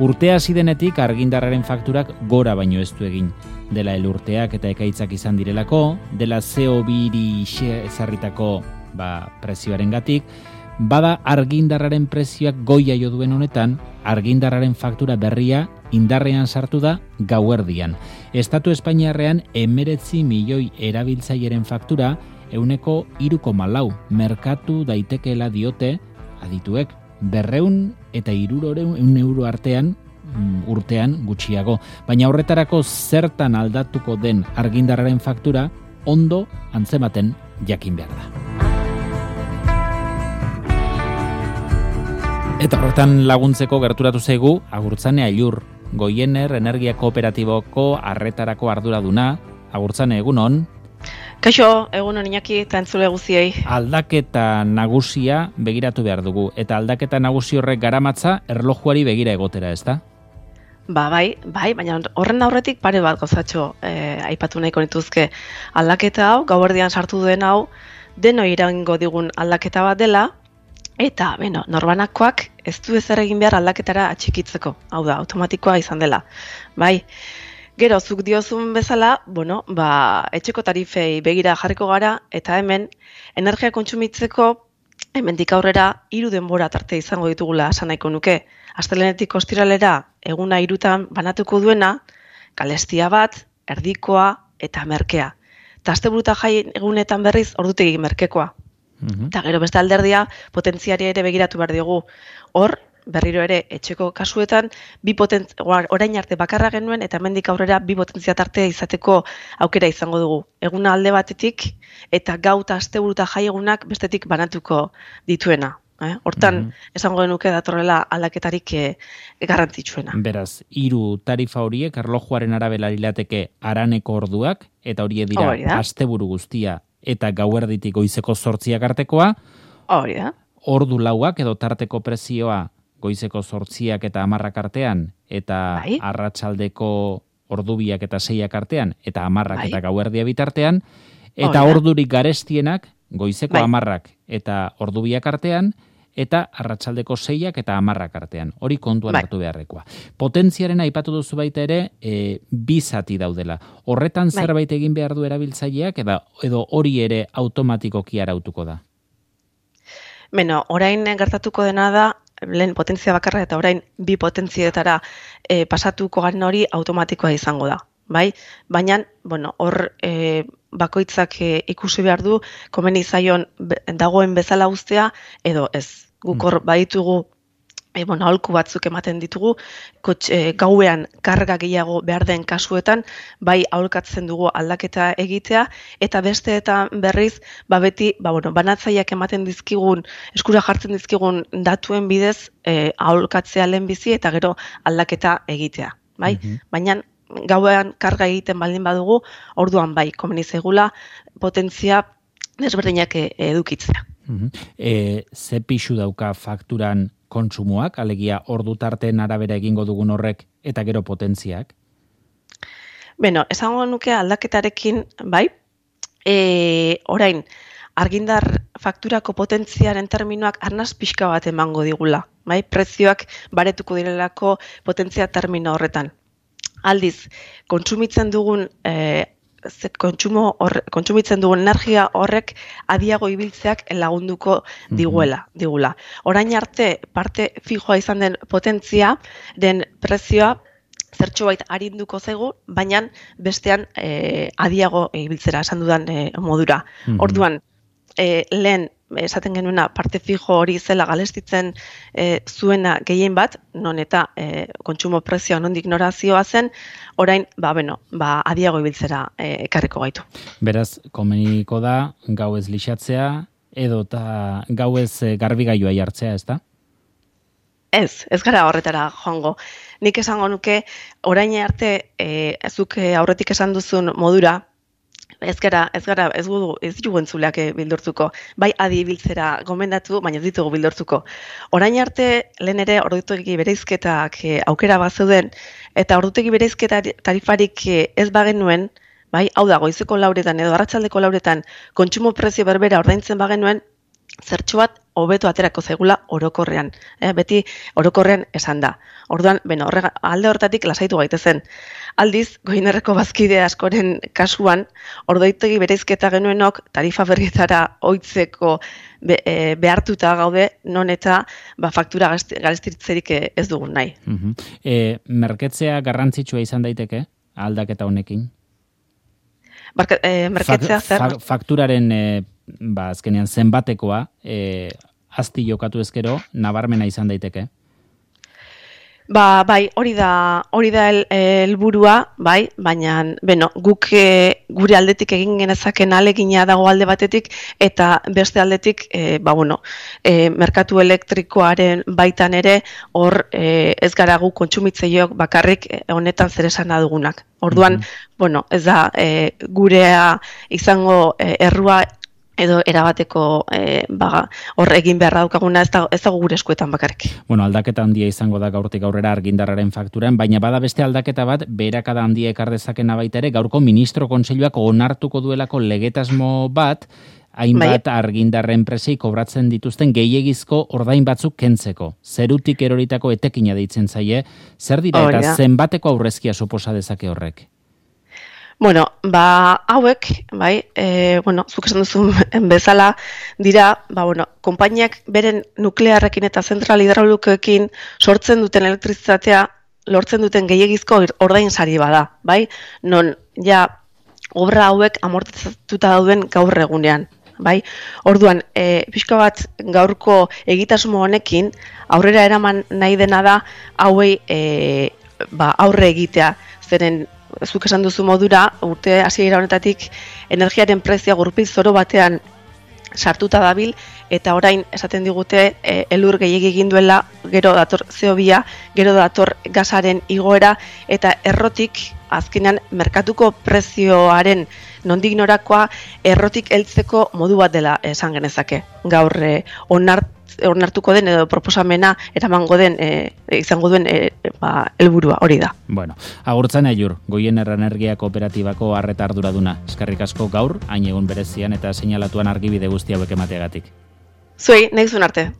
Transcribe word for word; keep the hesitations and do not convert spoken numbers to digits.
Urtea hasi denetik argindarraren fakturak gora baino ez du egin. Dela elurteak eta ekaitzak izan direlako, dela C O biri ezarritako ba, prezioaren gatik, bada argindarraren prezioak goia jo duen honetan, argindarraren faktura berria indarrean sartu da gauerdian. Estatu Espainiarrean emeretzi milioi erabiltzaileren faktura euneko hiru koma lau merkatu daitekeela diote adituek berreun eta hirurogeun euro artean urtean gutxiago. Baina horretarako zertan aldatuko den argindarraren faktura ondo antzematen jakin behar da. Eta horretan laguntzeko gerturatu zaigu Agurtzane Ailur, Goiener Energia Kooperatiboko arretarako arduraduna. Agurtzane, egunon? Kaixo, egunon Iñaki eta entzule guztiei. Aldaketa nagusia begiratu behar dugu, eta aldaketa nagusi horrek garamatza erlojuari begira egotera, ezta? Ba, bai, bai, baina horren aurretik pare bat gozatxo eh, aipatu nahiko nituzke. Aldaketa hau, gauerdian sartu duen hau, deno iraingo digun aldaketa bat dela, eta, beno, norbanakoak ez du ezer egin behar aldaketara atxikitzeko. Hau da, automatikoa izan dela. Bai, gero, zuk diozun bezala, bueno, ba, etxeko tarifei begira jarriko gara, eta hemen, energia kontsumitzeko, hemendik aurrera, hiru denbora tarte izango ditugula esan nahiko nuke. Astelehenetik ostiralera, eguna hirutan banatuko duena, kalestia bat, erdikoa eta merkea. Eta asteburuta jai egunetan berriz, ordutegi merkekoa. Eta gero beste alderdia, potentziari ere begiratu behar diogu. Hor, berriro ere, etxeko kasuetan, bi potent, orain arte bakarra genuen, eta hemendik aurrera bi potentzia tartea izateko aukera izango dugu. Eguna alde batetik, eta gau eta asteburuta jai egunak bestetik banatuko dituena. Eh? Hortan, mm-hmm. esango genuke datorrela aldaketarik eh, garrantzitsuena. Beraz, hiru tarifa horiek erlojuaren arabera lirateke haraneko orduak, eta horiek dira Hori da. asteburu guztia eta gauerditik goizeko zortziak artekoa. Hori da. Ordu lauak edo tarteko prezioa goizeko zortziak eta hamarrak artean, eta bai. arratsaldeko ordubiak eta seiak artean, eta hamarrak bai. eta gauerdia bitartean, eta ordurik garestienak goizeko bai. hamarrak eta ordubiak artean, eta arratsaldeko seiak eta hamarrak artean. Hori kontuan bai. hartu beharrekoa. Potentziaren aipatu duzu baita ere, e, bi zati daudela. Horretan bai. zerbait egin behar du erabiltzaileak, edo, edo hori ere automatikoki arautuko da? Beno, orain gertatuko dena da, lehen potentzia bakarra eta orain bi potentzietara e, pasatuko garen hori automatikoa izango da. Bai? Baina, bueno, hor e, bakoitzak e, ikusi behar du, komeni zaion dagoen bezala ustea, edo ez. Guk hor baditugu, e, bueno, aholku batzuk ematen ditugu, kotx, e, gauean karga gehiago behar den kasuetan, bai aholkatzen dugu aldaketa egitea, eta beste eta berriz, ba beti, ba bueno, banatzaileak ematen dizkigun, eskura jartzen dizkigun datuen bidez, e, aholkatzea lehenbizi eta gero aldaketa egitea. Bai? Mm-hmm. Baina, gauean karga egiten baldin badugu, orduan bai, komeni zaigula potentzia desberdinak edukitzea. Uh-huh. E, ze pixu dauka fakturan kontsumoak, alegia ordu tarteen arabera egingo dugun horrek eta gero potentziak? Beno, esango nuke aldaketarekin, bai, e, orain, argindar fakturako potentziaren terminoak arnaz pixka bat emango digula, bai, prezioak baretuko direlako potentzia termino horretan. Aldiz, kontsumitzen dugun e, kontsumo horre, kontsumitzen dugun energia horrek adiago ibiltzeak lagunduko diguela, digula. Orain arte parte fijoa izan den potentzia den prezioa zertxobait arinduko zaigu, baina bestean e, adiago ibiltzera esan dudan e, modura. Mm-hmm. Orduan, e, lehen esaten genuena parte fijo hori zela galestitzen e, zuena gehien bat, non eta e, kontsumo prezioa nondik norazioa zen, orain, ba, beno, ba, adiago ibiltzera e, ekarriko gaitu. Beraz, komeniko da, gau ez lixatzea, edo eta gau ez garbigailua jartzea, ez da? Ez, ez gara horretara joango. Nik esango nuke, orain arte, e, zuk aurretik esan duzun modura, Ez gara, ez gara, ez gudu, ez dugu entzuleak bildurtuko. Bai adi ibiltzera gomendatu, baina ez ditugu bildurtuko. Orain arte, lehen ere ordutegi bereizketak aukera bat zeuden, eta ordutegi bereizketa tarifarik ez bagenuen, bai, hau da, goizeko lauretan edo arratsaldeko lauretan kontsumo prezio berbera ordaintzen bagenuen, zertxo bat hobeto aterako zaigula orokorrean. Eh, beti orokorrean esan da. Orduan, beno, horrega, alde hortatik lasaitu gaitezen. Aldiz, Goierreko bazkide askoren kasuan, ordoitegi bereizketa genuenok tarifa berrietara ohitzeko be, e, behartuta gaude, non eta ba, faktura garestitzerik ez dugun nahi. Uh-huh. E, merketzea garrantzitsua izan daiteke, aldaketa honekin? Barka, e, merketzea zer? Fa, fakturaren e, ba, azkenean zenbatekoa, e, azti jokatu ezkero, nabarmena izan daiteke? Ba, bai, hori da, hori da helburua, bai, baina, beno, guk e, gure aldetik egin genezaken alegina dago alde batetik, eta beste aldetik, e, ba, bueno, e, merkatu elektrikoaren baitan ere, hor e, ez gara gu kontsumitzaileok bakarrik honetan zer esana dugunak. Orduan, mm-hmm. bueno, ez da, e, gurea izango e, errua, edo erabateko e, baga, hor egin beharra daukaguna ez dago, ez dago gure eskuetan bakarrik. Bueno, aldaketa handia izango da gaurtik aurrera argindarraren fakturan, baina bada beste aldaketa bat, beherakada handia ekar dezakena baita ere, gaurko ministro kontseiluak onartuko duelako legetasmo bat, hainbat bai. Argindarren presei kobratzen dituzten gehiegizko ordain batzuk kentzeko. Zerutik eroritako etekina deitzen zaie, zer dira eta oh, zenbateko aurrezkia suposa dezake horrek? Bueno, ba, hauek, bai, e, bueno, zuk esan duzun bezala dira, ba, bueno, konpainiak beren nuklearrekin eta zentral hidraulikoekin sortzen duten elektrizitatea, lortzen duten gehiegizko ordain sari bada, bai? Non, ja, obra hauek amortizatuta dauden gaur egunean, bai? Orduan, e, pixka bat gaurko egitasmo honekin, aurrera eraman nahi dena da, hauei, e, ba, aurre egitea, zeren, zuk esan duzu modura, urte hasiera honetatik energiaren prezioa gurpil zoro batean sartuta dabil, eta orain esaten digute e, elur gehiegi egin duela, gero dator C O bia, gero dator gasaren igoera, eta errotik azkenean merkatuko prezioaren nondik norakoa errotik heltzeko modu bat dela esan genezake. Gaur e, onart, onartuko den edo proposamena eramango den e, izango duen e, ba, helburua hori da. Bueno, agurtzen aiur, Goierri Energia Kooperatibako arreta arduraduna. Eskerrik asko gaur, hain egun berezian eta seinalatuan argibide guzti hauek emateagatik. Zuei, nahi zuen arte.